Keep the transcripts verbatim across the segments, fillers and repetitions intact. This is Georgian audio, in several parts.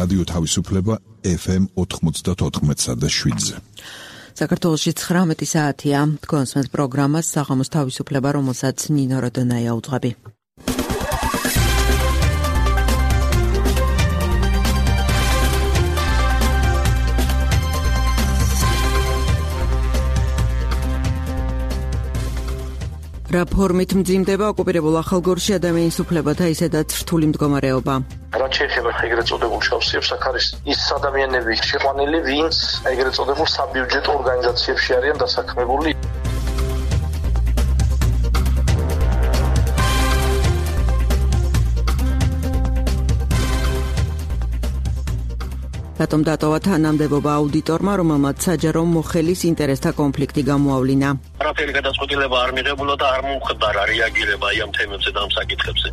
რადიო თავისუფლება ეფ ემ ოთხმოცდაოთხ და შვიდზე. საქართველოში ცხრამეტი საათია. თქვენს მე პროგრამას საღამოს თავისუფლება, რომელსაც ნინო როდონაია უძღვები. რა ფორმით მძიმდება ოკუპირებულ ახალგორში ადამიანის უფლებათა ისედაც რთული მდგომარეობა. რაც შეეხება ეგრეთ წოდებულ შავსიებს, აქ არის ის ადამიანები შეყვანილი, ვინც ეგრეთ წოდებულ საბიუჯეტო ორგანიზაციებში არიან დასაქმებული. რატომ დატოვა თანამდებობა აუდიტორმა, რომელმაც საჯარო მოხელის ინტერესთა კონფლიქტი გამოავლინა? არაფერი გადაწყვეტილება არ მიღებულა და არ მომხდარა რეაგირება აი ამ თემებზე და ამ საკითხებზე.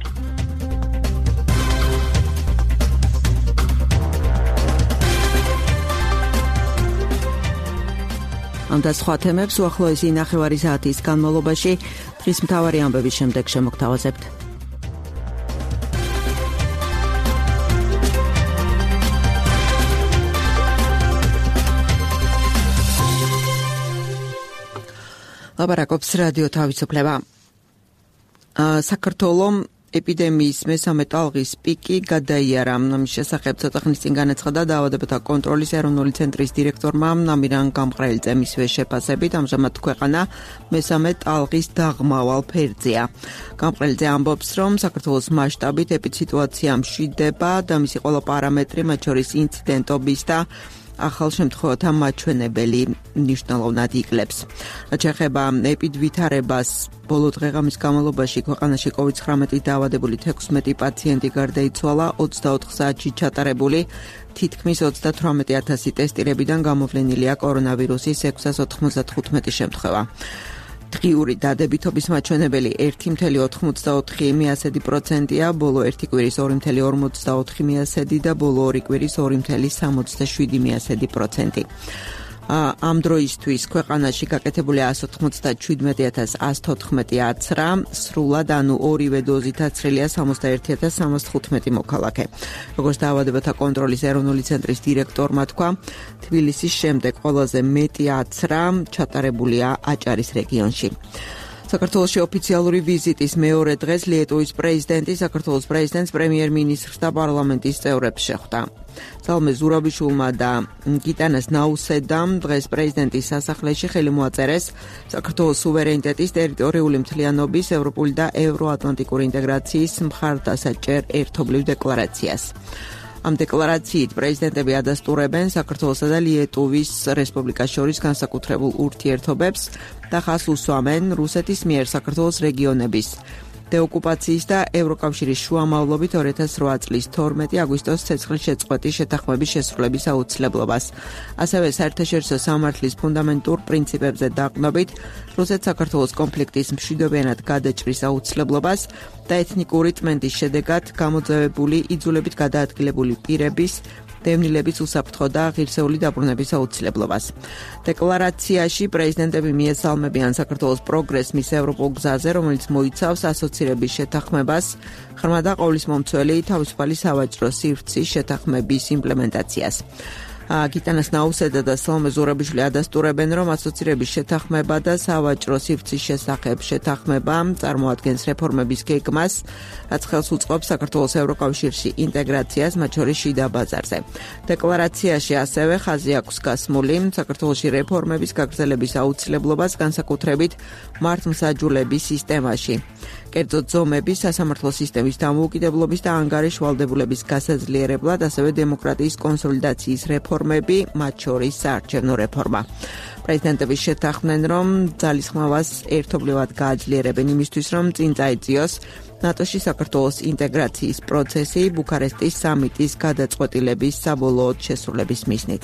ამ და სხვა თემებს უახლოესი ნახევარი საათის განმავლობაში დღის მთავარი ამბების შემდეგ შემოგთავაზებთ. ლაპარაკობს რადიო თავისუფლება. საქართველოს ეპიდემიის მესამე ტალღის პიკი გადაიარა. ამის შესახებ ცოტა ხნის წინ განაცხადა დაავადებათა კონტროლის ეროვნული ცენტრის დირექტორმა ამირან გამყრელძე. მისივე შეფასებით ამჟამად ქვეყანა მესამე ტალღის დაღმავალ ფერზეა. გამყრელძე ამბობს, რომ საქართველოს მასშტაბით ეპიდსიტუაცია მშვიდება და მისი ყველა პარამეტრი, მათ შორის ინციდენტობის და ახალ შემთხვევათა მაჩვენებელი მნიშვნელოვნად იკლებს. რაც შეეხება ეპიდვითარებას, ბოლო დღეღამის განმავლობაში ქვეყანაში კოვიდ ცხრამეტი დაავადებული თექვსმეტი პაციენტი გარდაიცვალა, ოცდაოთხ საათში ჩატარებული თითქმის ოცდათვრამეტი ათასი ტესტირებიდან გამოვლენილია კორონავირუსის ექვსას ოთხმოცდათხუთმეტი შემთხვევა. დღიური დადებითობის მაჩვენებელი ერთი მცდარი ოცდაოთხი პროცენტია, ბოლო ერთი კვირის ორი მცდარი ორმოცდაოთხი და ბოლო ორი კვირის ორი მცდარი სამოცდაშვიდი პროცენტი. ამ დროისთვის ქვეყანაში გაკეთებული εκατს ოცდაშვიდმეტი ათას εκατს თოთხმეტი აცრა, სრულად ანუ ორივე დოზით აცრილია სამოცდაერთი ათას სამას თხუთმეტი მოქალაქე. როგორც დაავადებათა კონტროლის ეროვნული ცენტრის დირექტორმა თქვა, თბილისის შემდეგ ყველაზე მეტი აცრა ჩატარებულია აჭარის რეგიონში. საქართველოში ოფიციალური ვიზიტის მეორე დღეს ლიეტუვის პრეზიდენტი საქართველოს პრეზიდენტს, პრემიერ-მინისტრს და პარლამენტის წევრებს შეხვდა. ზალმე ზურაბიშვილმა და გიტანას ნაუსედამ დღეს პრეზიდენტის სასახლეში ხელი მოაწერეს საქართველოს სუვერენიტეტის, ტერიტორიული მთლიანობის, ევროპული და ევროატლანტიკური ინტეგრაციის მხარდასაჭერ ერთობლივ დეკლარაციას. ამ დეკლარაციით პრეზიდენტები ადასტურებენ საქართველოსა და ლიეტუვის რესპუბლიკას შორის განსაკუთრებულ ურთიერთობებს და ხაზს უსვამენ რუსეთის მიერ საქართველოს რეგიონების დეოკუპაციის და ევროკავშირის შუამავლობით ორი ათას რვა წლის თორმეტი აგვისტოს ცეცხლის შეწყვეტის შეთანხმების შესრულების აუცილებლობას. ასევე საერთაშორისო სამართლის ფუნდამენტურ პრინციპებზე დაყრდნობით რუსეთ-საქართველოს კონფლიქტის მშვიდობიანად გადაჭრის აუცილებლობას და ეთნიკური წმენდის შედეგად გამოძევებული იძულებით გადაადგილებული პირების დევნილების უსაფრთხო და ღირსეული დაბრუნების აუცილებლობას. დეკლარაციაში პრეზიდენტები მიესალმებიან საქართველოს პროგრესს მის ევროპულ გზაზე, რომელიც მოიცავს ასოცირების შეთანხმებას, ღრმა და ყოვლისმომცველი თავისუფალი სავაჭრო სივრცის შეთანხმების იმპლემენტაციას. გიტანას ნაუსედა და სალომე ზურაბიშვილი ადასტურებენ, რომ ასოცირების შეთანხმება და სავაჭრო სივრცის შესახებ შეთანხმება წარმოადგენს რეფორმების გეგმას, რაც ხელს უწყობს საქართველოს ევროკავშირში ინტეგრაციას, მათ შორის შიდა ბაზარზე. დეკლარაციაში ასევე ხაზი აქვს გასმული საქართველოში რეფორმების გაგრძელების აუცილებლობას, განსაკუთრებით მართლმსაჯულების სისტემაში. კერძო ზომების, სასამართლო სისტემის დამოუკიდებლობის და ანგარიშ ვალდებულების გასაძლიერებლად, ასევე დემოკრატიის კონსოლიდაციის რეფორმები, მათ შორის საარჩევნო რეფორმა. პრეზიდენტები შეთანხმდნენ, რომ ძალისხმევას ერთობლივად გააძლიერებენ იმისთვის, რომ წინ წაეწიოს ნატოში საქართველოს ინტეგრაციის პროცესი ბუქარესტის სამიტის გადაწყვეტილების საბოლოოდ შესრულების მიზნით.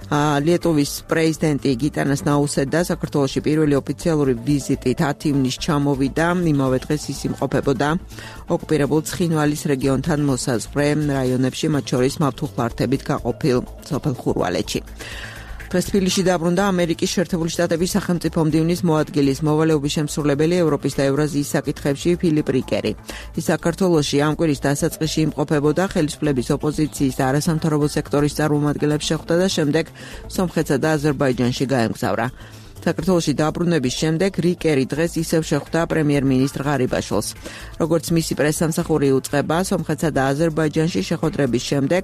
ლიეტუვის პრეზიდენტი გიტანას ნაუსედა საქართველოში პირველი ოფიციალური ვიზიტით ათი ივნისს ჩამოვიდა, იმავე დღეს ის იმყოფებოდა ოკუპირებულ ცხინვალის რეგიონთან მოსაზღვრე რაიონებში, მათ შორის მავთუხლართებით გაყოფილ სოფელ ხურვალეთში. დღეს თბილისში დაბრუნდა ამერიკის შეერთებული შტატების სახელმწიფო მდივნის მოადგილის მოვალეობის შემსრულებელი ევროპის და ევრაზიის საკითხებში ფილიპ რიკერი. ის საქართველოში ამ კვირის დასაწყისში იმყოფებოდა, ხელისუფლების ოპოზიციის და არასამთავრობო სექტორის წარმომადგენლებს შეხვდა და შემდეგ სომხეთსა და აზერბაიჯანში გაემგზავრა. საქართველოში დაბრუნების შემდეგ რიკერი დღეს ისევ შეხვდა პრემიერ-მინისტრ ღარიბაშვილს. როგორც მისი პრესსამსახური უწყება, სომხეთსა და აზერბაიჯანში შეხვედრების შემდეგ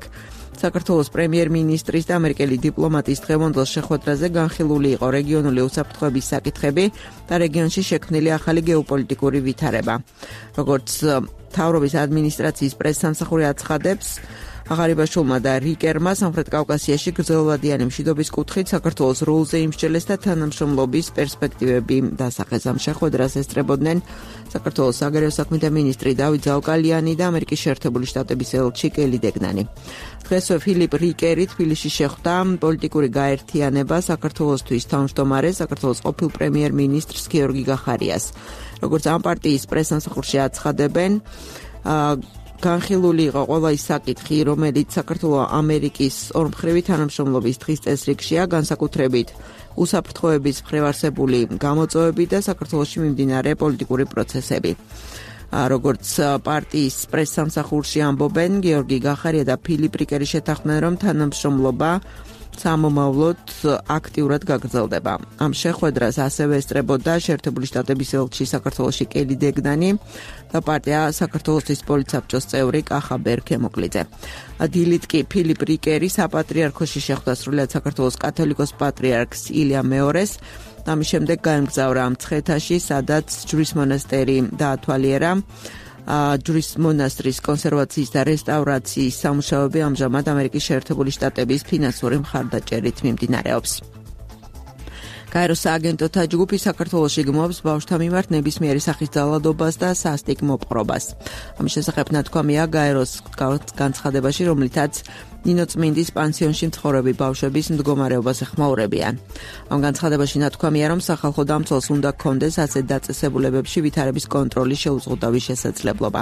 საქართველოს პრემიერ-მინისტრის და ამერიკელი დიპლომატის დღევანდელ შეხვედრაზე განხილული იყო რეგიონული უსაფრთხოების საკითხები და რეგიონში შექმნილი ახალი გეოპოლიტიკური ვითარება. როგორც მთავრობის ადმინისტრაციის პრესსამსახური აცხადებს, ღარიბაშვილმა და რიკერმა სამხრეთ კავკასიაში გრძელვადიანი მშვიდობის კუთხით საქართველოს როლზე იმსჯელეს და თანამშრომლობის პერსპექტივები დასახეს. ამ შეხვედრას ესწრებოდნენ საქართველოს საგარეო საქმეთა მინისტრი დავით ზაუკალიანი და ამერიკის შეერთებული შტატების ელჩი კელი დეგნანი. დღესვე ფილიპ რიკერი თბილისში შეხვდა პოლიტიკური გაერთიანება საქართველოსთვის თავმჯდომარეს საქართველოს ყოფილ პრემიერ-მინისტრს გიორგი გახარიას. როგორც ამ პარტიის პრესსამსახურში აცხადებენ, განხილული იყო ყველა ის საკითხი, რომელიც საქართველოს ამერიკის ორმხრივი თანამშრომლობის დღის წესრიგშია, განსაკუთრებით უსაფრთხოების მხრივ არსებული გამოწვევები და საქართველოში მიმდინარე პოლიტიკური პროცესები. როგორც პარტიის პრესსამსახურში ამბობენ, გიორგი გახარია და ფილიპ რიკერი შეთანხმდნენ, რომ თანამშრომლობა სამომავლოდ აქტიურად გაგრძელდება. ამ შეხვედრას ასევე ესწრებოდა შეერთებული შტატების ელჩი საქართველოში კელი დეგნანი და პარტია საქართველოსთვის პოლიტსაბჭოს წევრი კახა ბერქემოკლიძე. დილით კი ფილიპ რიკერი საპატრიარქოში შეხვდა სრულიად საქართველოს კათოლიკოს პატრიარქს ილია მეორეს. ამის შემდეგ გაემგზავრა მცხეთაში, სადაც ჯვრის მონასტერი დაათვალიერა. ჯვრის მონასტრის კონსერვაციის და რესტავრაციის სამუშაოები ამჟამად ამერიკის შეერთებული შტატების ფინანსური მხარდაჭერით მიმდინარეობს. გაეროს სააგენტოთა ჯგუფი საქართველოში გმობს ბავშვთა მიმართ ნებისმიერი სახის ძალადობას და სასტიკ მოპყრობას. ამის შესახებ ნათქვამია გაეროს განცხადებაში, რომლითაც ნინოწმინდის პანსიონში მცხოვრები ბავშვების მდგომარეობას ეხმაურებიან. ამ განცხადებაში ნათქვამია, რომ სახალხო დამცველს უნდა ჰქონდეს ასეთ დაწესებულებებში ვითარების კონტროლის შეუზღუდავი შესაძლებლობა.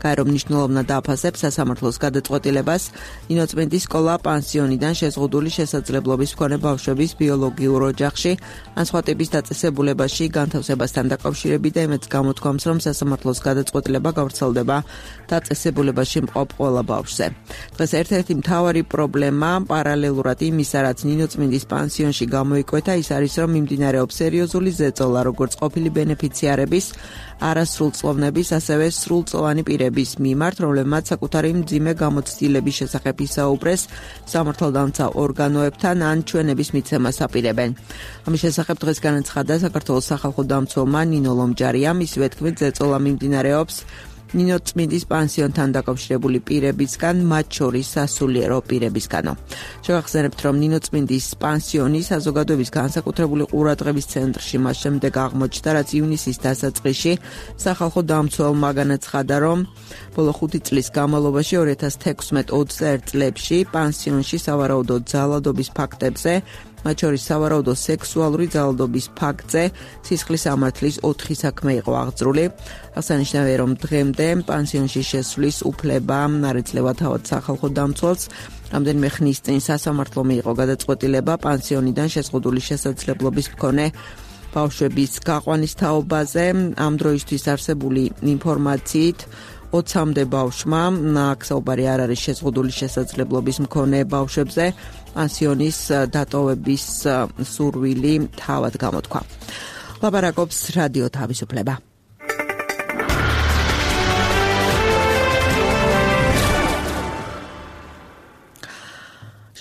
გაერო მნიშვნელოვნად დააფასებს სასამართლოს გადაწყვეტილებას ნინოწმინდის სკოლა პანსიონიდან შეზღუდული შესაძლებლობის მქონე ბავშვების ბიოლოგიურ ოჯახში ან სხვა ტიპის დაწესებულებაში განთავსებასთან დაკავშირებით და იმედს გამოთქვამს, რომ სასამართლოს გადაწყვეტილება გავრცელდება დაწესებულებაში მყოფ ყველა ბავშვზე. დღეს ერთ-ერთი მთავარი პრობლემა პარალელურად იმისა, რაც ნინოწმინდის პანსიონში გამოიკვეთა, ის არის, რომ მიმდინარეობს სერიოზული ზეწოლა როგორც ყოფილი ბენეფიციარების, არასრულწლოვნების, ასევე სრულწლოვანი პირების მიმართ, რომლებმაც საკუთარი მძიმე გამოცდილების შესახებ ისაუბრეს სამართალდამცავ ორგანოებთან ან ჩვენების მიცემას აპირებენ. ამის შესახებ დღეს განაცხადა საქართველოს სახალხო დამცველმა ნინო ლომჯარიამ, ისივე თქმით, ზეწოლა მიმდინარეობს ნინოწმინდის პანსიონთან დაკავშირებული პირებისგან, მათ შორის სასულიერო პირებისგანო. შევახსენებთ, რომ ნინოწმინდის პანსიონი საზოგადოების განსაკუთრებული ყურადღების ცენტრში მას შემდეგ აღმოჩნდა, რაც ივნისის დასაწყისში სახალხო დამცველმა განაცხადა, რომ ბოლო ხუთი წლის განმავლობაში ორი ათას თექვსმეტ ოცდაერთ წლებში პანსიონში სავარაუდო ძალადობის ფაქტებზე, მათ შორის სავარაუდო სექსუალური ძალადობის ფაქტზე სისხლის სამართლის ოთხი საქმე იყო აღძრული. აღსანიშნავია, რომ დღემდე პანსიონში შესვლის უფლება არ ეძლევა თავად სახალხო დამცველს. რამდენიმე ხნის წინ სასამართლომ მიიღო გადაწყვეტილება პანსიონიდან შეზღუდული შესაძლებლობის მქონე ბავშვების გაყვანის თაობაზე. ამ დროისთვის არსებული ინფორმაციით ოცამდე ბავშვმა, აქ საუბარი არ არის შეზღუდული შესაძლებლობის მქონე ბავშვებზე, პანსიონის დატოვების სურვილი თავად გამოთქვა. ლაპარაკობს რადიო თავისუფლება.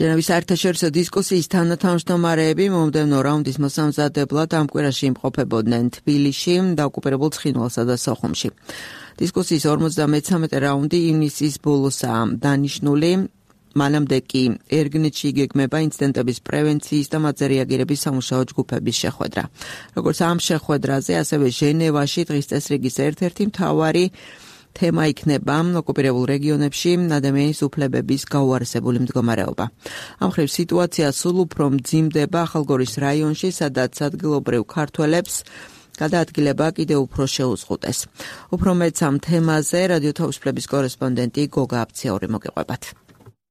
ჟენევის საერთაშორისო დისკუსიის თანათავმჯდომარეები მომდევნო რაუნდის მოსამზადებლად ამ კვირაში იმყოფებოდნენ თბილისში, დაოკუპირებულ ცხინვალსა და სოხუმში. დისკუსიის ორმოცდამეცამეტე რაუნდი ივნისის ბოლოსაა დანიშნული. მანამდე კი ერგნეთში იგეგმება ინციდენტების პრევენციის და მათზე რეაგირების სამუშაო ჯგუფების შეხვედრა. როგორც ამ შეხვედრაზე, ასევე ჟენევაში დღის წესრიგის ერთ-ერთი მთავარი თემა იქნება ოკუპირებულ რეგიონებში ადამიანის უფლებების გაუარესებული მდგომარეობა. ამ მხრივ სიტუაცია სულ უფრო მძიმდება ახალგორის რაიონში, სადაც ადგილობრივ ქართველებს გადაადგილება კიდევ უფრო შეუზღუდეს. უფრო მეც ამ თემაზე რადიო თავისუფლების კორესპონდენტი გოგა აფციაური მოგეყვებათ.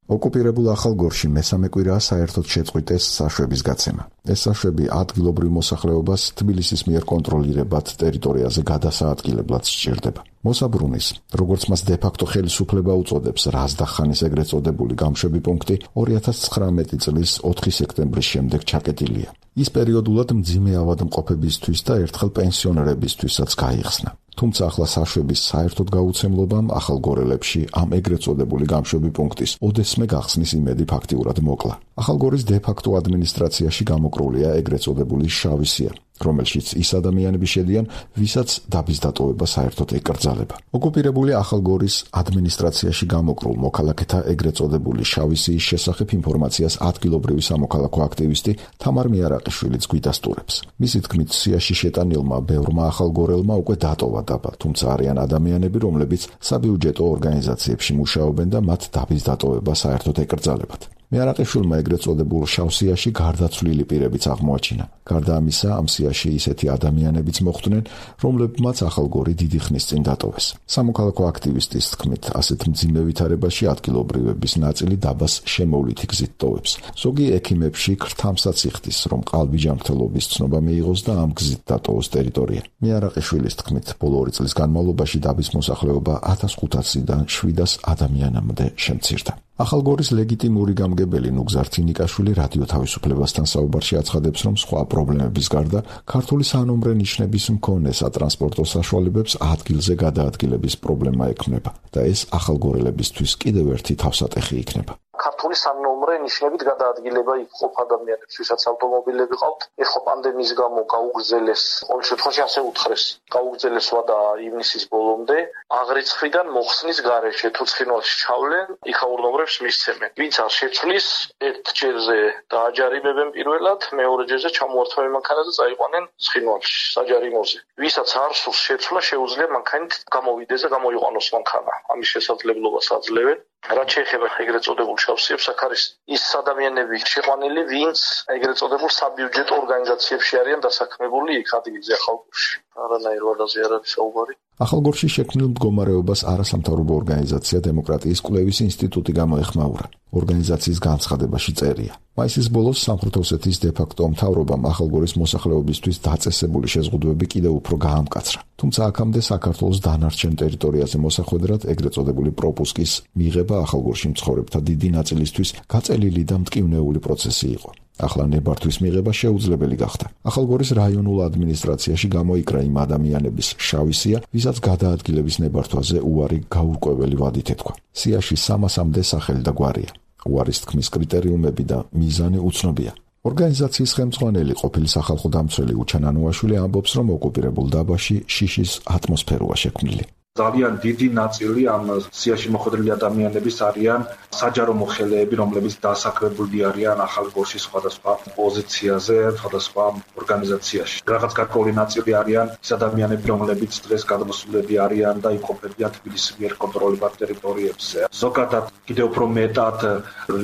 ოკუპირებულ ახალგორში მესამე კვირაა საერთოდ შეწყვიტეს საშვების გაცემა. ეს საშვები ადგილობრივ მოსახლეობას თბილისის მიერ კონტროლირებად ტერიტორიაზე გადასაადგილებლად სჭირდება. მოსაბრუნის, როგორც მას დე-ფაქტო ხელისუფლება უწოდებს, რაზდახანის ეგრეთ წოდებული გამშვები პუნქტი ორი ათას ცხრამეტი წლის ოთხი სექტემბრის შემდეგ ჩაკეტილია. ის პერიოდულად მძიმე ავადმყოფებისთვის და ერთხელ პენსიონერებისთვისაც გაიხსნა. თუმცა ახლა საშვების საერთოდ გაუცემლობამ ახალგორელებში ამ ეგრეთ წოდებული გამშვები პუნქტის ოდესმე გახსნის იმედი ფაქტიურად მოკლა. ახალგორის დე-ფაქტო ადმინისტრაციაში გამოკრულია ეგრეთ წოდებული შავი სია, რომელშიც ის ადამიანები შედიან, ვისაც დაბის დატოვება საერთოდ ეკრძალება. ოკუპირებული ახალგორის ადმინისტრაციაში გამოკრულ მოქალაქეთა ეგრეთ წოდებული შავი სიის შესახებ ინფორმაციას ადგილობრივი სამოქალაქო აქტივისტი თამარ მიარაყიშვილიც გვიდასტურებს. მისი თქმით, სიაში შეტანილმა ბევრმა ახალგორელმა უკვე დატოვა დაბა, თუმცა არიან ადამიანები, რომლებიც საბიუჯეტო ორგანიზაციებში მუშაობენ და მათ დაბის დატოვება საერთოდ ეკრძალებათ. მიარაყიშვილმა ეგრეთ წოდებულ შავ სიაში გარდაცვლილი პირებიც აღმოაჩინა. გარდა ამისა, ამ სიაში ისეთი ადამიანებიც მოხვდნენ, რომლებმაც ახალგორი დიდი ხნის წინ დატოვეს. სამოქალაქო აქტივისტის თქმით, ასეთ მძიმე ვითარებაში ადგილობრივების ნაწილი დაბას შემოვლითი გზით ტოვებს. ზოგი ექიმებში ქრთამსაც იხდის, რომ ყალბიჯამრთელობის ცნობა მიიღოს და ამ გზით დატოვოს ტერიტორია. მიარაყიშვილის თქმით, ბოლო ორი წლის განმავლობაში დაბის მოსახლეობა ათას ხუთასიდან შვიდას ადამიანამდე შემცირდა. ახალგორის ლეგიტიმური გამგებელი ნუგზარ თინიკაშვილი რადიო თავისუფლებასთან საუბარში აცხადებს, რომ სხვა პრობლემების გარდა ქართული სანომრე ნიშნების მქონე სატრანსპორტო საშუალებებს ადგილზე გადაადგილების პრობლემა ექმნება და ეს ახალგორელებისთვის კიდევ ერთი თავსატეხი იქნება. ქართული სანომრე ნიშნებით გადაადგილება იქ ადამიანებს, ვისაც ავტომობილები ყავთ, ეხლა პანდემიის გამო გაუგრძელეს, ყოველ შემთხვევაში ასე უთხრეს, გაუგრძელეს ვადა ივნისის ბოლომდე, აღრიცხვიდან მოხსნის გარეშე თუ ცხინვალში ჩავლენ, იქაურნომრებს მისცემენ. ვინც არ შეცვლის, ერთ ჯერზე დააჯარიმებენ პირველად, მეორე ჯერზე ჩამოართვევენ მანქანაზე, წაიყვანენ ცხინვალში, საჯარიმოზე. ვისაც არ სურს შეცვლა, შეუძლია მანქანით გამოვიდეს და გამოიყვანოს მანქანა. ამის შესაძლებლობას აძლევენ. რაც შეეხება ეგრეთ წოდებულ შავსიებს, აქ არის ის ადამიანები შეყვანილი, ვინც ეგრეთ წოდებულ საბიუჯეტო ორგანიზაციებში არიან დასაქმებული იქ ადგილზე ახალგორში. არანაირ ვადაზე არ არის საუბარი. ახალგორში შექმნილ მდგომარეობას არასამთავრობო ორგანიზაცია დემოკრატიის კვლევის ინსტიტუტი გამოეხმაურა. ორგანიზაციის განცხადებაში წერია: მაისის ბოლოს სამხრეთ ოსეთის დე-ფაქტო მთავრობამ ახალგორის მოსახლეობისთვის დაწესებული შეზღუდვები კიდევ უფრო გაამკაცრა. თუმცა აქამდე საქართველოს დანარჩენ ტერიტორიაზე მოსახვედრად ეგრეთ წოდებული პროპუსკის მიღება ახალგორში მცხოვრებთა დიდი ნაწილისთვის გაწელილი და მტკივნეული პროცესი იყო. ახლა ნებართვის მიღება შეუძლებელი გახდა. ახალგორის რაიონულ ადმინისტრაციაში გამოიკრა იმ ადამიანების შავი სია, ვისაც გადაადგილების ნებართვაზე უარი გაურკვეველი ვადით ეთქვა. სიაში სამასამდე სახელი და გვარია. უარის თქმის კრიტერიუმები და მიზანი უცნობია. ორგანიზაციის ხელმძღვანელი ყოფილი სახალხო დამცველი უჩან ანუაშვილი ამბობს, რომ ოკუპირებულ დაბაში შიშის ატმოსფეროა შექმნილი. ძალიან დიდი ნაწილი ამ სიაში მოხვედრილი ადამიანების არიან საჯარო მოხელეები, რომლებიც დასაქმებული არიან ახალგორში სხვადასხვა პოზიციაზე, სხვადასხვა ორგანიზაციაში. რაღაც გარკვეული ნაწილი არიან ის ადამიანები, რომლებიც დღეს გადმოსულები არიან და იმყოფებიან თბილისის მიერ კონტროლებად ტერიტორიებზე. ზოგადად კიდევ უფრო მეტად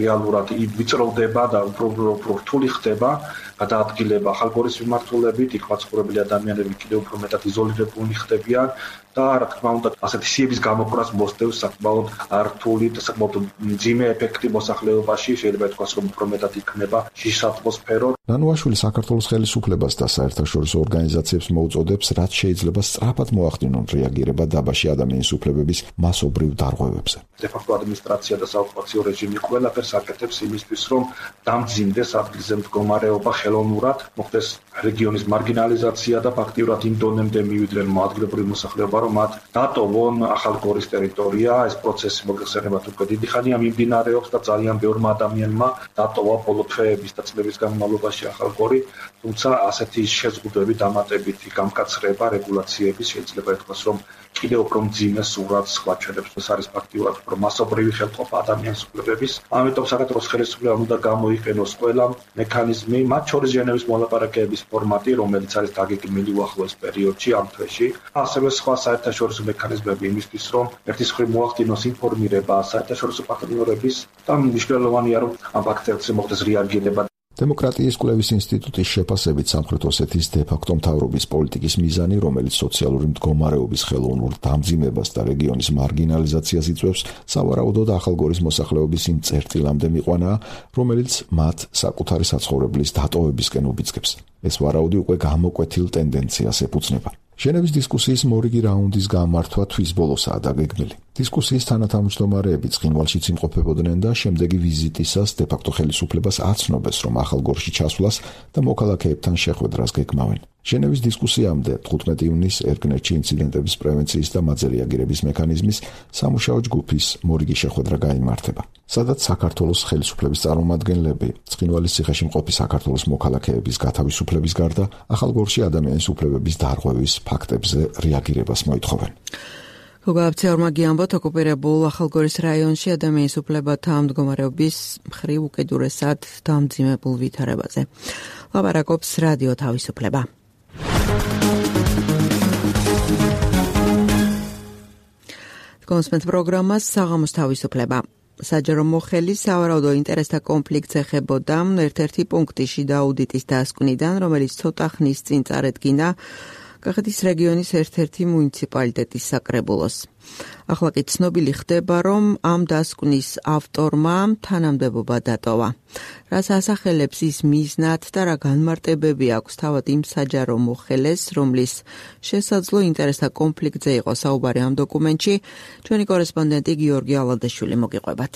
რეალურად ვიწროვდება და უფრო უფრო რთული ხდება გადაადგილება ახალგორის მიმართულებით, იქ მაცხოვრებელი ადამიანები კიდევ უფრო მეტად იზოლირებულნი ხდებიან და რა თქმა უნდა ასეთი სიების გამოკვრას მოსდევს საკმაოდ რთული და საკმაოდ მძიმე ეფექტი მოსახლეობაში, შეიძლება ითქვას, რომ უფრო მეტად იქნება შიშის ატმოსფერო. ნანუაშვილი საქართველოს ხელისუფლებას და საერთაშორისო ორგანიზაციებს მოუწოდებს, რაც შეიძლება სწრაფად მოახდინონ რეაგირება დაბაში ადამიანის უფლებების მასობრივ დარღვევებზე. დე-ფაქტო ადმინისტრაცია და საოკუპაციო რეჟიმი ყველაფერს აკეთებს იმისთვის, რომ დამძიმდეს ადგილზე მდგომარეობა ხელოვნურად, მოხდეს რეგიონის მარგინალიზაცია და ფაქტიურად იმ დონემდე მივიდნენ ადგილობრივი მოსახლეობა, რომ მათ დატოვონ ახალგორის ტერიტორია. ეს პროცესი მოგეხსენებათ უკვე დიდი ხანია მიმდინარეობს და ძალიან ბევრმა ადამიანმა დატოვა ბოლო თვეების და წლების განმავლობაში ახალგორი, თუმცა ასეთი შეზღუდვები დამატებითი გამკაცრება რეგულაციების შეიძლება ითქვას, რომ კიდევ უფრო მძიმე სურათს გვაჩვენებს. ეს არის ფაქტიურად უფრო მასობრივი ხელყოფა ადამიანის უფლებების. ამიტომ საქართველოს ხელისუფლებამ უნდა გამოიყენოს ყველა მექანიზმი, მათ შორის ჟენევის მოლაპარაკებების ფორმატი, რომელიც არის დაგეგმილი უახლოეს პერიოდში ამ თვეში, ასევე სხვა საერთაშორისო მექანიზმები იმისთვის, რომ ერთის მხრივ მოახდინოს ინფორმირება საერთაშორისო პარტნიორების და მნიშვნელოვანია, რომ ამ ფაქტებზე მოხდეს რეაგირება. დემოკრატიის კვლევის ინსტიტუტის შეფასებით სამხრეთ ოსეთის დე-ფაქტო მთავრობის პოლიტიკის მიზანი, რომელიც სოციალური მდგომარეობის ხელოვნურ დამძიმებას და რეგიონის მარგინალიზაციას იწვევს, სავარაუდოდ ახალგორის მოსახლეობის იმ წერტილამდე მიყვანა, რომელიც მათ საკუთარი საცხოვრებლის დატოვებისკენ უბიძგებს. ეს ვარაუდი უკვე გამოკვეთილ ტენდენციას ეფუძნება. ჟენევის დისკუსიის მორიგი რაუნდის გამართვა თვის ბოლოსაა დაგეგმილი. დისკუსიის თანათავმჯდომარეები ცხინვალშიც იმყოფებოდნენ და შემდეგი ვიზიტისას დე-ფაქტო ხელისუფლებას აცნობეს, რომ ახალგორში ჩასვლას და მოქალაქეებთან შეხვედრას გეგმავენ. ჟენევის დისკუსიამდე თხუთმეტი ივნისს ერგნეთში ინციდენტების პრევენციის და მათზე რეაგირების მექანიზმის სამუშაო ჯგუფის მორიგი შეხვედრა გაიმართება, სადაც საქართველოს ხელისუფლების წარმომადგენლები ცხინვალის ციხეში მყოფი საქართველოს მოქალაქეების გათავისუფლების გარდა ახალგორში ადამიანის უფლებების დარღვევის ფაქტებზე რეაგირებას მოითხოვენ. გოგაბცეორმა გიამბოთ, ოკუპირებულ ახალგორის რაიონში ადამიანის უფლებათა მდგომარეობის მხრივ უკიდურესად დამძიმებულ ვითარებაზე. ლაპარაკობს რადიო თავისუფლება. კონსპენს პროგრამას საღამოს თავისუფლება. საჯარო მოხელი სავარაუდო ინტერესთა კონფლიქტს ეხებოდა ერთ-ერთი პუნქტი შიდა აუდიტის დასკვნიდან, რომელიც ცოტა ხნის წინ წარედგინა კახეთის რეგიონის ერთ-ერთი მუნიციპალიტეტის საკრებულოს. ახლა კი ცნობილი ხდება, რომ ამ დასკვნის ავტორმა თანამდებობა დატოვა. რას ასახელებს ის მიზნად და რა განმარტებები აქვს თავად იმ საჯარო მოხელეს, რომლის შესაძლო ინტერესთა კონფლიქტზე იყო საუბარი ამ დოკუმენტში, ჩვენი კორესპონდენტი გიორგი ალადაშვილი მოგიყვებათ.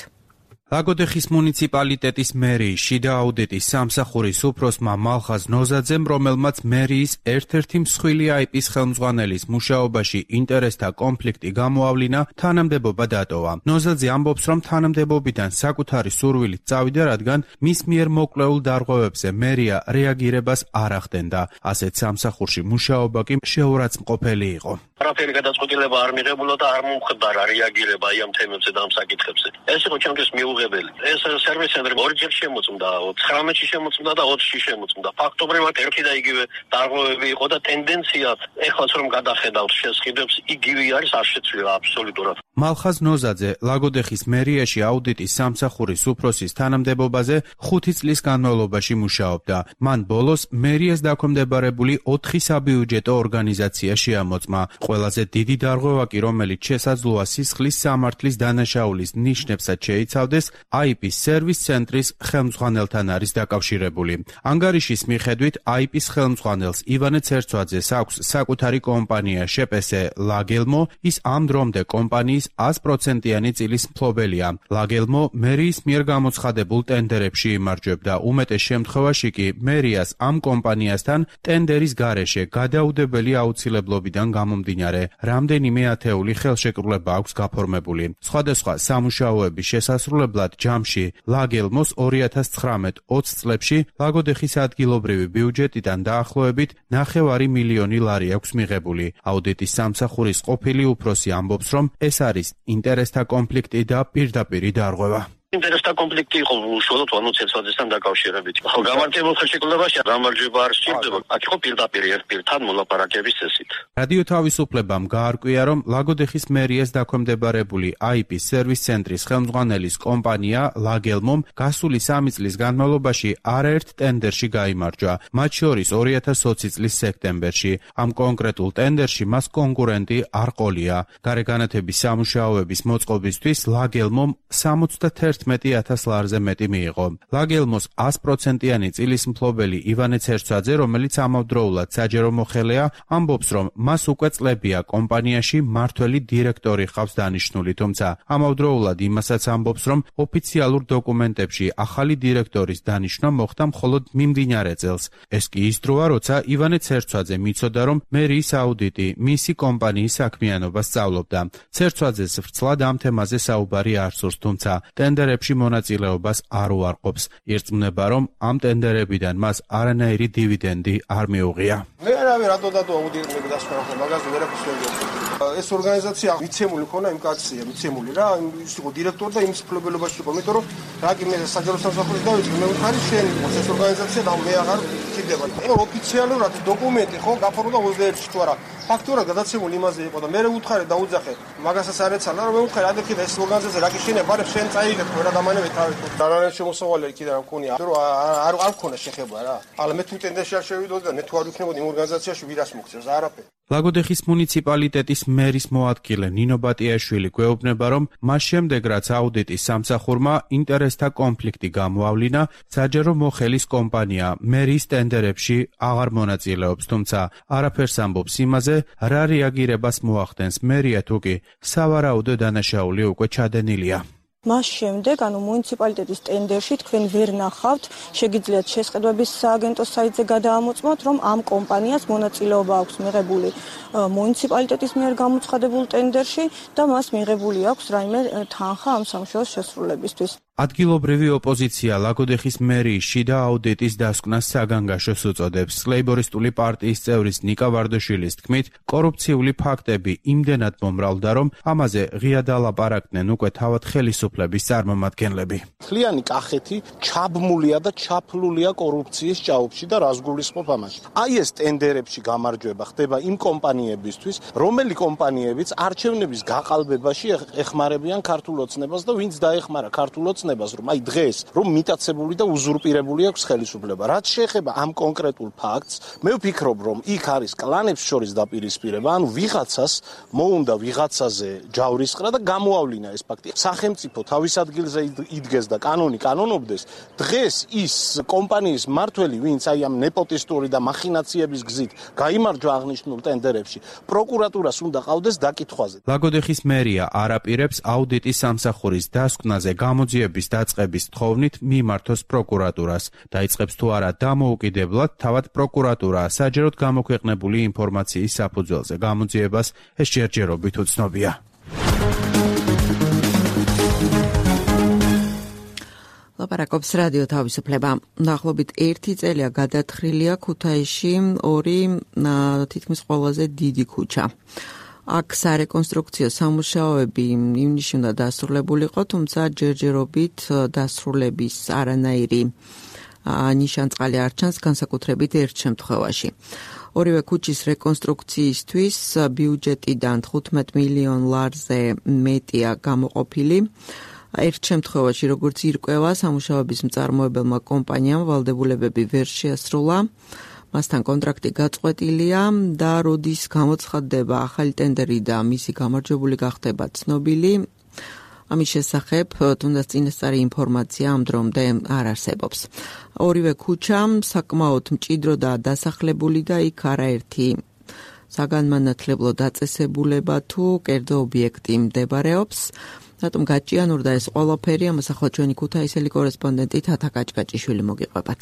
ლაგოდეხის მუნიციპალიტეტის მერიის შიდა აუდიტის სამსახურის უფროსმა მალხაზ ნოზაძემ, რომელმაც მერიის ერთ-ერთი მსხვილი აიპის ხელმძღვანელის მუშაობაში ინტერესთა კონფლიქტი გამოავლინა, თანამდებობა დატოვა. ნოზაძე ამბობს, რომ თანამდებობიდან საკუთარი სურვილით წავიდა, რადგან მის მიერ მოკვლეულ დარღვევებზე მერია რეაგირებას არ ახდენდა. ასეთ სამსახურში მუშაობა კი შეურაცხმყოფელი იყო. არაფერი გადაწყვეტილება არ მიღებულა და არ მომხდარა რეაგირება აი ამ თემებზე და ამ საკითხებზე. ეს იყო ჩემთვის მიუღებელი. ეს სერვის ცენტრი ორჯერ შემოწმდა, ცხრამეტში შემოწმდა და ოცში შემოწმდა. ფაქტობრივად ერთი და იგივე დარღვევები იყო და ტენდენცია ეხლაც რომ გადახედავთ შესყიდვებს, იგივე არის, არ შეცვლილა აბსოლუტურად. მალხაზ ნოზაძე ლაგოდეხის მერიაში აუდიტის სამსახურის უფროსის თანამდებობაზე ხუთი წლის განმავლობაში მუშაობდა. მან ბოლოს მერიას დაქვემდებარებული ოთხი საბიუჯეტო ორგანიზაცია შეამოწმა. ყველაზე დიდი დარღვევა კი, რომელიც შესაძლოა სისხლის სამართლის დანაშაულის ნიშნებსაც შეიცავდეს, აიპის სერვის ცენტრის ხელმძღვანელთან არის დაკავშირებული. ანგარიშის მიხედვით, აიპის ხელმძღვანელს ივანე ცერცვაძეს აქვს საკუთარი კომპანია შეპესე ლაგელმო, ის ამ დრომდე კომპანიის ას პროცენტიანი წილის მფლობელია. ლაგელმო მერიის მიერ გამოცხადებულ ტენდერებში იმარჯვებდა. უმეტეს შემთხვევაში კი მერიას ამ კომპანიასთან ტენდერის გარეშე გადაუდებელი აუცილებლობიდან გამომდინარე რამდენიმე ათეული ხელშეკრულება აქვს გაფორმებული. სხვადასხვა სამუშაოების შესასრულებლად ჯამში ლაგელმოს ორი ათას ცხრამეტ ოცი წლებში ლაგოდეხის ადგილობრივი ბიუჯეტიდან დაახლოებით ნახევარი მილიონი ლარი აქვს მიღებული. აუდიტის სამსახურის ყოფილი უფროსი ამბობს, რომ ეს არის ინტერესთა კონფლიქტი და პირდაპირი დარღვევა. ინტერესთა კონფლიქტი იყო უშუალოდ ვანო ცერცვაძესთან დაკავშირებით. ხო, გამარჯვებულ ხელშეკრულებაში გამარჯვება არ სჭირდება. აქ იყო პირდაპირ ერთ პირთან მოლაპარაკების წესით. რადიო თავისუფლებამ გაარკვია, რომ ლაგოდეხის მერიას დაქვემდებარებული აიპის სერვის ცენტრის ხელმძღვანელის კომპანია ლაგელმომ გასული სამი წლის განმავლობაში არაერთ ტენდერში გაიმარჯვა, მათ შორის ორი ათას ოცი წლის სექტემბერში. ამ კონკრეტულ ტენდერში მას კონკურენტი არ ყოლია. გარეგანათების სამუშაოების მოწყობისთვის ლაგელმომ სამოცდაერთმეტი ათას ლარზე მეტი მიიღო. ლაგელმოს ას პროცენტიანი წილის მფლობელი ივანე ცერცვაძე, რომელიც ამავდროულად საჯარო მოხელეა, ამბობს, რომ მას უკვე წლებია კომპანიაში მართველი დირექტორი ხავს დანიშნული, თუმცა ამავდროულად იმასაც ამბობს, რომ ოფიციალურ დოკუმენტებში ახალი დირექტორის დანიშვნა მოხდა მხოლოდ მიმდინარე წელს. ეს კი ის დროა, როცა ივანე ცერცვაძე მიცოდა, რომ მერიის აუდიტი მისი კომპანიის საქმიანობას სწავლობდა. ცერცვაძეს ვრცლად ამ თემაზე საუბარი არ სურს, თუმცა ტენდერებში მონაწილეობას არ უარყოფს. ირწმუნება, რომ ამ ტენდერებიდან მას არანაირი დივიდენდი არ მიუღია. მე არავე რატო დადო აუდიტები დასკვნახო, მაგაზე ვერაფერს ვერ ვიცი. ეს ორგანიზაცია მიცემული ქონა იმ კაცია, მიცემული რა, ის იყო დირექტორი და იმის მფლობელობაში იყო, იმიტომ რომ რა კი მე საჯარო სამსახურის დავიწყე, მე ვიხარი შენი, ეს ორგანიზაცია და მე აღარ ვქიდება. ეხლა ოფიციალურად დოკუმენტი ხო გაფორმდა ოცდაერთში თუ არა. ფაქტურად გადაცემული იმაზე იყო და მე ვუთხარი და უძახე მაგასაც არ ეცალა რომ მე ვუთხარი ადრე და ეს ორგანიზაცია რა გიშენებ არა შენ წაიღებ რა დამანებე თავი დანარჩენ შემოსავალი კიდე რა მქონია რომ არ არ მქონა შეხება რა αλλά მე თუ ტენდენცია არ შევიდოდი და მე თუ არ ვიქნებოდი იმ ორგანიზაციაში ვირას მოგწევს არაფერი ლაგოდეხის მუნიციპალიტეტის მერის მოადგილე ნინო ბატიაშვილი გვეუბნება, რომ მას შემდეგ, რაც აუდიტის სამსახურმა ინტერესთა კონფლიქტი გამოავლინა, საჯარო მოხელის კომპანია მერის ტენდერებში აღარ მონაწილეობს, თუმცა არაფერს ამბობს იმაზე, რა რეაგირებას მოახდენს მერია თუ კი სავარაუდო დანაშაული უკვე ჩადენილია. მას შემდეგ, ანუ მუნიციპალიტეტის ტენდერში თქვენ ვერ ნახავთ, შეგიძლიათ შესყიდვების სააგენტო საიტზე გადაამოწმოთ, რომ ამ კომპანიას მონაწილეობა აქვს მიღებული მუნიციპალიტეტის მიერ გამოცხადებულ ტენდერში და მას მიღებული აქვს რაიმე თანხა ამ სამუშაოს შესრულებისთვის. ადგილობრივი ოპოზიცია ლაგოდეხის მერიის შიდა აუდიტის დასკვნას საგანგაშოს უწოდებს. ლეიბორისტული პარტიის წევრის ნიკა ვარდაშვილის თქმით, კორუფციული ფაქტები იმდენად მომრავლდა, რომ ამაზე ღია დალაპარაკდნენ უკვე თავად ხელისუფლების წარმომადგენლები. მთლიანი კახეთი ჩაბმულია და ჩაფლულია კორუფციის ჭაობში და რას გულისხმობ ამაში. აი ეს ტენდერებში გამარჯვება ხდება იმ კომპანიებისთვის, რომელი კომპანიებიც არჩევნების გაყალბებაში ეხმარებიან ქართულ ოცნებას და ვინც დაეხმარა ქართულ ოცნებას რომ აი დღეს რომ მიტაცებული და უზურპირებული აქვს ხელისუფლება. რაც შეეხება ამ კონკრეტულ ფაქტს, მე ვფიქრობ, რომ იქ არის კლანებს შორის დაპირისპირება, ანუ ვიღაცას მოუნდა ვიღაცაზე ჯავრისყრა და გამოავლინა ეს ფაქტი. სახელმწიფო თავის ადგილზე იდგეს და კანონი კანონობდეს. დღეს ის კომპანიის მმართველი, ვინც აი ამ ნეპოტისტური და მახინაციების გზით გაიმარჯვა აღნიშნულ ტენდერებში, პროკურატურას უნდა ყავდეს დაკითხვაზე. ლაგოდეხის მერია არ აპირებს აუდიტის სამსახურის დასკვნაზე გამოძიების დაწყების თხოვნით მიმართოს პროკურატურას. დაიწყებს თუ არა დამოუკიდებლად, თავად პროკურატურა საჯაროდ გამოქვეყნებული ინფორმაციის საფუძველზე გამოძიებას ეს ჯერჯერობით უცნობია. ლაპარაკობს რადიო თავისუფლება. დაახლოებით ერთი წელია გადათხრილია ქუთაისში ორი თითქმის ყველაზე დიდი ქუჩა. აქ სარეკონსტრუქციო სამუშაოები ივნისში უნდა დასრულებულიყო, თუმცა ჯერჯერობით დასრულების არანაირი ნიშანწყალი არ ჩანს, განსაკუთრებით ერთ შემთხვევაში. ორივე ქუჩის რეკონსტრუქციისთვის ბიუჯეტიდან თხუთმეტ მილიონ ლარზე მეტია გამოყოფილი. ერთ შემთხვევაში, როგორც ირკვევა, სამუშაოების მწარმოებელმა კომპანიამ ვალდებულებები ვერ შეასრულა. მასთან კონტრაქტი გაწყვეტილია და როდის გამოცხადდება ახალი ტენდერი და მისი გამარჯვებული გახდება ცნობილი. ამის შესახებ თუნდაც წინასწარი ინფორმაცია ამ დრომდე არ არსებობს. ორივე ქუჩა საკმაოდ მჭიდრო და დასახლებული და იქ არაერთი საგანმანათლებლო დაწესებულება თუ კერძო ობიექტი მდებარეობს. რატომ გაჭიანურდა ეს ყველაფერი? ამას ახლა ჩვენი ქუთაისელი კორესპონდენტი თათა კაჭკაჭიშვილი მოგიყვებათ.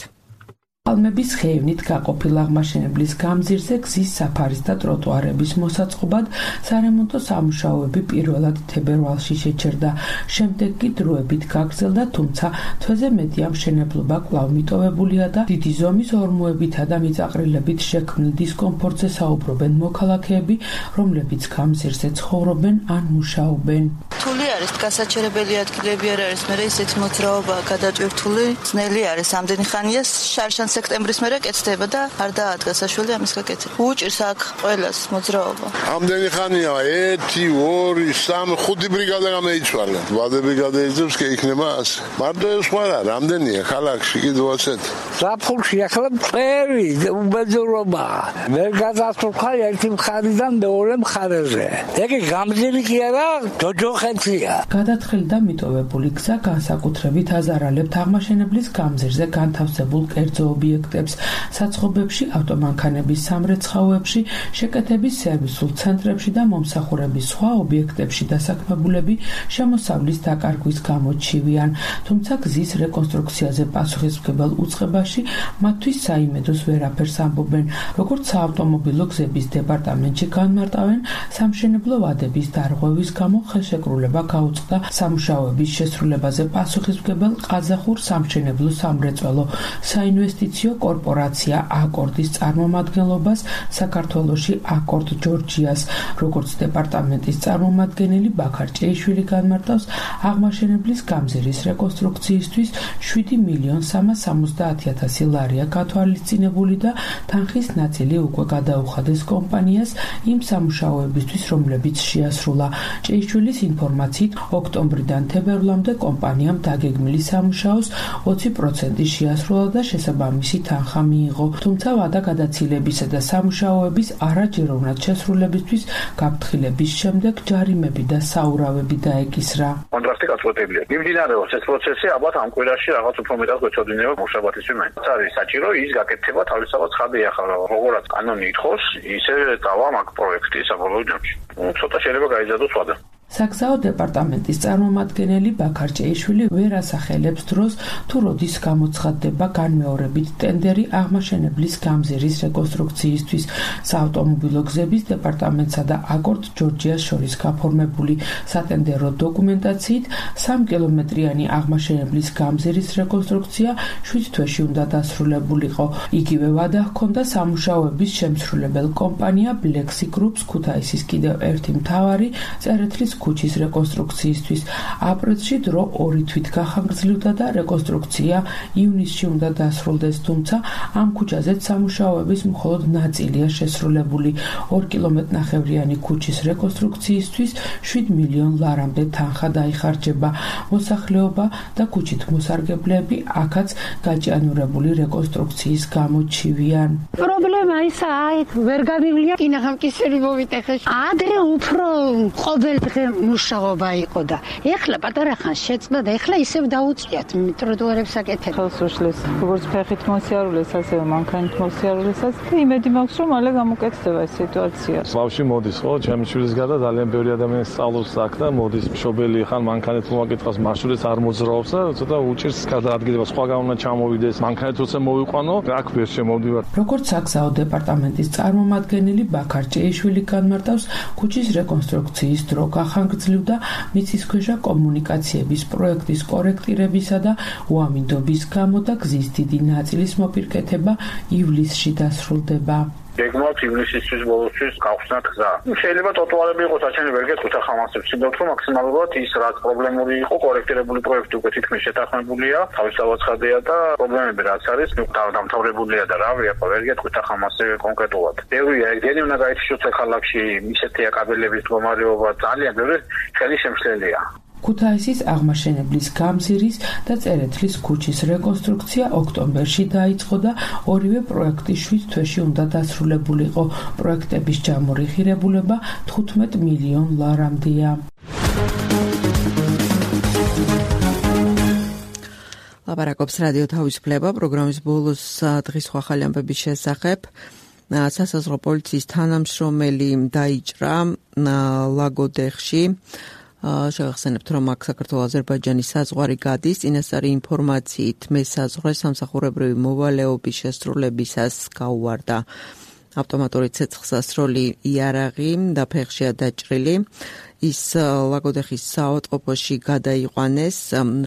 პალმების ხეივნით გაყოფილ აღმაშენებლის გამზირზე გზის საფარის და ტროტუარების მოსაწყობად სარემონტო სამუშაოები პირველად თებერვალში შეჩერდა. შემდეგ კი დროებით გაგრძელდა, თუმცა თვეზე მეტი ამშენებლობა კვლავ მიტოვებულია და დიდი ზომის ორმოებითა და მიწაყრილებით შექმნილ დისკომფორტზე საუბრობენ მოქალაქეები, რომლებიც გამზირზე ცხოვრობენ ან მუშაობენ. რთული არის, გასაჩერებელი ადგილები არ არის, მერე ისეთი მოძრაობა გადატვირთული, ძნელი არის ამდენი ხანია შარშან სექტემბრის მერე კეთდება და არ დაადგა საშველი ამის გაკეთება. უჭირს აქ ყველას მოძრაობა. ამდენი ხანია ერთი, ორი, სამი, ხუთი ბრიგადა გამოიცვალა. ვადები გადაიძებს კი იქნება ასე. მარტო ეს სხვა რა, რამდენია ქალაქში კიდევ ასეთ. საფულში ახლა წერი, უბედურობა. ვერ გადასულხა ერთი მხარიდან მეორე მხარეზე. ეგ გამზირი კი არა, ჯოჯოხეთია. გადათხილდა მიტოვებული გზა განსაკუთრებით აზარალებთ აღმაშენებლის გამზირზე განთავსებულ კერძო ობიექტებს, საცხობებში, ავტომანქანების სამრეცხაოებში, შეკეთების სერვისულ ცენტრებში და მომსახურების სხვა ობიექტებში დასაქმებულები შემოსავლის დაკარგვის გამო ჩივიან. თუმცა გზის რეკონსტრუქციაზე პასუხისმგებელ უწყებაში მათთვის საიმედოს ვერაფერს ამბობენ. როგორც საავტომობილო გზების დეპარტამენტში განმარტავენ, სამშენებლო ვადების დარღვევის გამო ხელშეკრულება გაუწყდა სამუშაოების შესრულებაზე პასუხისმგებელ ყაზახურ სამშენებლო სამრეწველო საინვესტიციო კორპორაცია აკორდის წარმომადგენლობას საქართველოში აკორდ ჯორჯიას, როგორც დეპარტამენტის წარმომადგენელი ბაქარ ჭეიშვილი განმარტავს, აღმაშენებლის გამზირის რეკონსტრუქციისთვის შვიდი მილიონ სამას სამოცდაათი ათასი ლარია გათვალისწინებული და თანხის ნაწილი უკვე გადაუხადეს კომპანიას იმ სამუშაოებისთვის, რომლებიც შეასრულა. ჭეიშვილის ინფორმაციით, ოქტომბრიდან თებერვლამდე კომპანიამ დაგეგმილი სამუშაოს ოცი პროცენტი შეასრულა და შესაბამისი თანხა მიიღო. თუმცა ვადა გადაცილებისა და სამუშაოების არაჯეროვნად შესრულებისთვის გაფრთხილების შემდეგ ჯარიმები და საურავები დაეკისრა. კონტრაქტი გაწყვეტილია. მიმდინარეობს ეს პროცესი, ალბათ ამ კვირაში რაღაც უფრო მეტად გვეცოდინება მუშაბათის მიმართ. არის საჭირო ის გაკეთება თავისთავად ხადი ახლა, როგორაც კანონი ითხოვს, ისე დავა მაგ პროექტი საბოლოო ჯამში. ცოტა შეიძლება გაიზარდოს ვადა. საგზაო დეპარტამენტის წარმომადგენელი ბაქარ ჭეიშვილი ვერ ასახელებს დროს, თუ როდის გამოცხადდება განმეორებით ტენდერი აღმაშენებლის გამზირის რეკონსტრუქციისთვის. საავტომობილო გზების დეპარტამენტსა და აკორდ ჯორჯიას შორის გაფორმებული სატენდერო დოკუმენტაციით სამი კილომეტრიანი აღმაშენებლის გამზირის რეკონსტრუქცია შვიდ თვეში უნდა დასრულებულიყო. იგივე ვადა ჰქონდა სამუშაოების შემსრულებელ კომპანია ბლექსი გრუპს ქუთაისის კიდევ ერთი მთავარი წერეთლის ქუჩის რეკონსტრუქციისთვის. აპრილში დრო ორი თვით გახანგრძლივდა და რეკონსტრუქცია ივნისში უნდა დასრულდეს, თუმცა ამ ქუჩაზეც სამუშაოების მხოლოდ ნაწილია შესრულებული. ორი კილომეტრნახევრიანი ქუჩის რეკონსტრუქციისთვის შვიდ მილიონ ლარამდე თანხა დაიხარჯება. მოსახლეობა და ქუჩით მოსარგებლეები აქაც გაჭიანურებული რეკონსტრუქციის გამო ჩივიან. პრობლემა ისაა, ვერ გამივლია კინაღამკისერი მოვიტეხეს. ადრე უფრო ყოველდღე მუშაობა იყო და ეხლა პატარა ხანს შეწყდა და ეხლა ისევ დაუწიათ ტროტუარებს აკეთებ. ხელს უშლის როგორც ფეხით მოსიარულეს, ასევე მანქანით მოსიარულესაც და იმედი მაქვს, რომ მალე გამოკეთდება ეს სიტუაცია. ბავშვი მოდის, ხო, ჩემი შვილის გარდა ძალიან ბევრი ადამიანი სწავლობს აქ და მოდის მშობელი ხან მანქანით მოვაკითხავს, მარშრუტს არ მოძრაობს და ცოტა უჭირს გადაადგილება, სხვაგან უნდა ჩამოვიდეს, მანქანით როცა მოვიყვანო, აქ ვერ შემოვდივარ. როგორც საგზაო დეპარტამენტის წარმომადგენელი ბაქარ ჭეიშვილი განმარტავს, ქუჩის რეკონსტრუქციის დრო გახანგრძლივდა მიწისქვეშა კომუნიკაციების პროექტის კორექტირებისა და უამინდობის გამო და გზის დიდი ნაწილის მოპირკეთება ივლისში დასრულდება. გეგმავთ ივნისისთვის ბოლოსთვის გავხსნათ გზა. შეიძლება ტროტუარები იყოს, საჩვენე ვერ გეტყვით ახლა მასებს, სიმდოთ რომ მაქსიმალურად ის რაც პრობლემური იყო, კორექტირებული პროექტი უკვე თითქმის შეთანხმებულია, თავისთავად ხადია და პრობლემები რაც არის, დამთავრებულია და რავი, ახლა ვერ გეტყვით ახლა მასე კონკრეტულად. ბევრია, ეგენი უნდა გაითიშოს ქალაქში, ისეთია კაბელების მდგომარეობა, ძალიან ბევრი ხელი შემშლელია. ქუთაისის აღმაშენებლის გამზირის და წერეთლის ქუჩის რეკონსტრუქცია ოქტომბერში დაიწყო და ორივე პროექტი შვიდ თვეში უნდა დასრულებულიყო. პროექტების ჯამური ღირებულება თხუთმეტ მილიონ ლარამდეა. ლაპარაკობს რადიო თავისუფლება პროგრამის ბოლოს დღის ახალი ამბების შესახებ. სასაზღვრო პოლიციის თანამშრომელი დაიჭრა ლაგოდეხში. შევახსენებთ, რომ აქ საქართველოს-აზერბაიჯანის საზღვარი გადის. წინასწარი ინფორმაციით მესაზღვრე სამსახურებრივი მოვალეობის შესრულებისას გაუვარდა ავტომატური ცეცხლსასროლი იარაღი და ფეხშია დაჭრილი. ის ლაგოდეხის საავადმყოფოში გადაიყვანეს.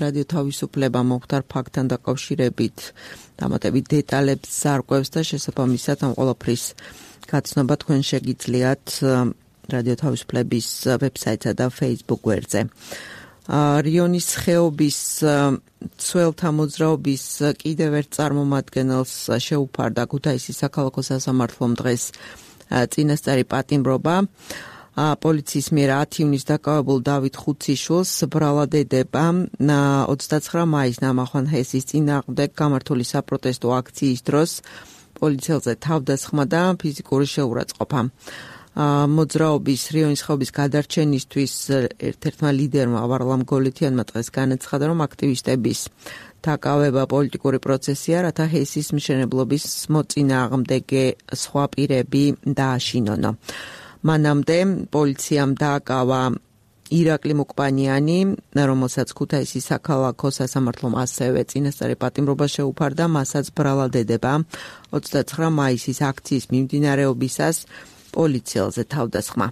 რადიო თავისუფლება მომხდარ ფაქტთან დაკავშირებით დამატებით დეტალებს ზარკვევს და შესაბამისად ამ ყველაფრის გაცნობა თქვენ შეგიძლიათ რადიო თავისუფლების ვებსაიტსა და Facebook გვერდზე. რიონის ხეობის ცველთა მოძრაობის კიდევ ერთ წარმომადგენელს შეუფარდა ქუთაისის საქალაქო სასამართლომ დღეს წინასწარი პატიმრობა. პოლიციის მიერ ათი ივნისს დაკავებულ დავით ხუციშვილს ბრალად ედება ოცდაცხრა მაისს ნამახვან ჰესის წინააღმდეგ გამართული საპროტესტო აქციის დროს პოლიციელზე თავდასხმა და ფიზიკური შეურაცხყოფა. მოძრაობის რიონის ხეობის გადარჩენისთვის ერთ-ერთმა ლიდერმა ვარლამ გოლეთიანმა დღეს განაცხადა, რომ აქტივისტების დაკავება პოლიტიკური პროცესია, რათა ჰესის მშენებლობის მოწინააღმდეგე სხვა პირები დააშინონო. მანამდე პოლიციამ დააკავა ირაკლი მუკბანიანი, რომელსაც ქუთაისის საქალაქო სასამართლომ ასევე წინასწარი პატიმრობა შეუფარდა, მასაც ბრალად ედება ოცდაცხრა მაისის აქციის მიმდინარეობისას პოლიციელზე თავდასხმა.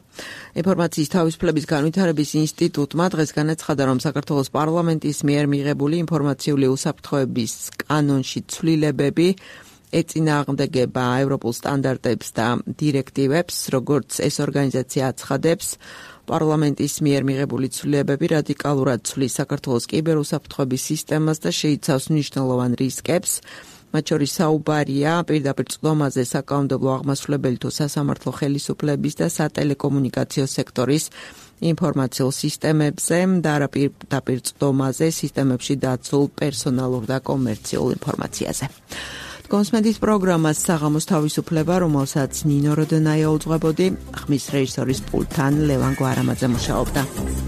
ინფორმაციის თავისუფლების განვითარების ინსტიტუტმა დღეს განაცხადა, რომ საქართველოს პარლამენტის მიერ მიღებული ინფორმაციული უსაფრთხოების კანონში ცვლილებები ეწინააღმდეგება ევროპულ სტანდარტებს და დირექტივებს, როგორც ეს ორგანიზაცია აცხადებს. პარლამენტის მიერ მიღებული ცვლილებები რადიკალურად ცვლის საქართველოს კიბერუსაფრთხოების სისტემას და შეიცავს მნიშვნელოვან რისკებს. მათ შორის საუბარია პირდაპირ წვდომაზე საკანონმდებლო აღმასრულებელი თუ სასამართლო ხელისუფლების და სატელეკომუნიკაციო სექტორის ინფორმაციულ სისტემებზე და არა პირდაპირ წვდომაზე სისტემებში დაცულ პერსონალურ და კომერციულ ინფორმაციაზე. კონსმენდის პროგრამას საღამოს თავისუფლება, რომელსაც ნინო როდონაია უძღვებოდი, ხმის რეჟისორის პულტთან ლევან გვარამაძე მუშაობდა.